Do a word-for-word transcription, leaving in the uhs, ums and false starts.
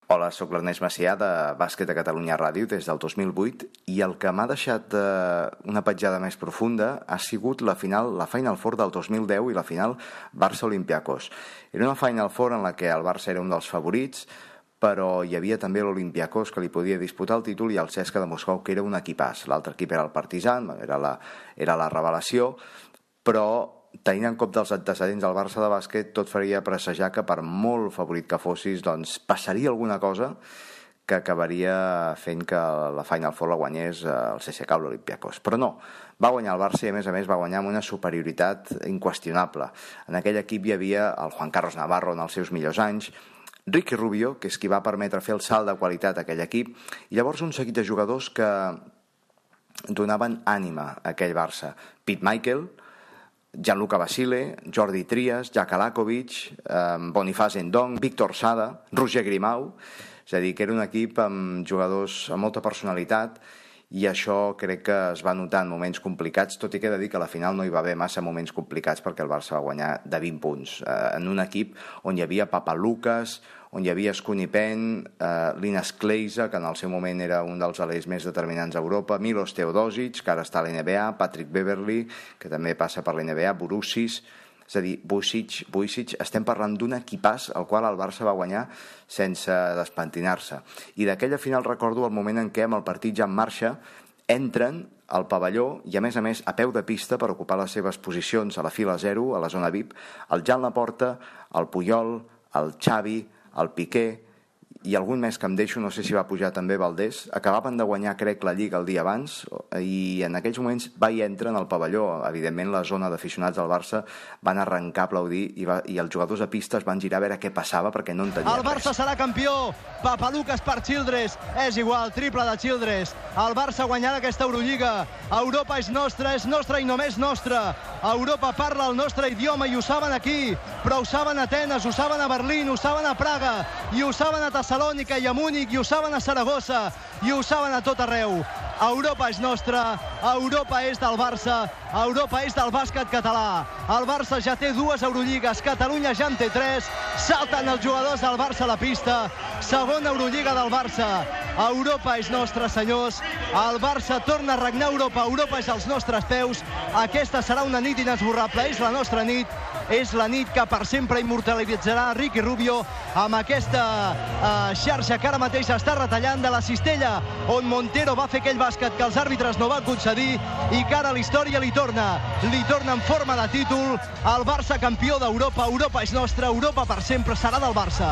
Hola, soc l'Ernest Macià de Bàsquet a Catalunya Ràdio des del dos mil vuit i el que m'ha deixat eh, una petjada més profunda ha sigut la final, la Final Four del dos mil deu i la final Barça-Olympiacos. Era una Final Four en la que el Barça era un dels favorits, però hi havia també l'Olympiacos que li podia disputar el títol i el C S K A de Moscou, que era un equipàs. L'altre equip era el Partizan, era la, era la revelació, però tenint en compte els antecedents del Barça de bàsquet, tot faria presagiar que per molt favorit que fossis, doncs passaria alguna cosa que acabaria fent que la Final Four la guanyés el C S K A o l'Olympiacos. Però no, va guanyar el Barça i a més a més va guanyar amb una superioritat inqüestionable. En aquell equip hi havia el Juan Carlos Navarro en els seus millors anys, Ricky Rubio, que és qui va permetre fer el salt de qualitat a aquell equip, i llavors un seguit de jugadors que donaven ànima a aquell Barça. Pete Michael, Gianluca Basile, Jordi Trias, Jack Alakovic, eh, Boniface Ndong, Víctor Sada, Roger Grimau. És a dir, que era un equip amb jugadors amb molta personalitat i això crec que es va notar en moments complicats, tot i que he de dir que a la final no hi va haver massa moments complicats perquè el Barça va guanyar de vint punts. Eh, en un equip on hi havia Papalukas, on hi havia Skunny Penn, eh, Linas Kleiza, que en el seu moment era un dels alers més determinants a Europa, Milos Teodosic, que ara està a l'N B A, Patrick Beverley, que també passa per l'N B A, Borussis. És a dir, Vujic, Vujic, estem parlant d'un equipàs al qual el Barça va guanyar sense despentinar-se. I d'aquella final recordo el moment en què amb el partit ja en marxa entren al pavelló i a més a més a peu de pista per ocupar les seves posicions a la fila zero, a la zona V I P, el Jan Laporta, el Puyol, el Xavi, el Piqué i algun més que em deixo, no sé si va pujar també Valdés, acabaven de guanyar, crec, la Lliga el dia abans i en aquells moments va i entren al pavelló. Evidentment la zona d'aficionats del Barça van arrencar a aplaudir i, va, i els jugadors a pista es van girar a veure què passava perquè no entenien res. El Barça serà campió, Papalukas per Childress, és igual, triple de Childress. El Barça guanyarà aquesta Eurolliga. Europa és nostra, és nostra i només nostra. Europa parla el nostre idioma i ho saben aquí, però ho saben a Atenes, ho saben a Berlín, ho saben a Praga i ho saben a Tessalònica i a Múnich i ho saben a Saragossa i ho saben a tot arreu. Europa és nostra, Europa és del Barça, Europa és del bàsquet català. El Barça ja té dues Eurolligues, Catalunya ja en té tres, salten els jugadors del Barça a la pista, segona Eurolliga del Barça. Europa és nostra, senyors, el Barça torna a regnar Europa, Europa és als nostres peus, aquesta serà una nit inesborrable, és la nostra nit, és la nit que per sempre immortalitzarà Ricky Rubio amb aquesta uh, xarxa que ara mateix està retallant de la cistella on Montero va fer aquell bàsquet que els àrbitres no van concedir i que ara la història li torna, li torna en forma de títol. El Barça campió d'Europa, Europa és nostra, Europa per sempre serà del Barça.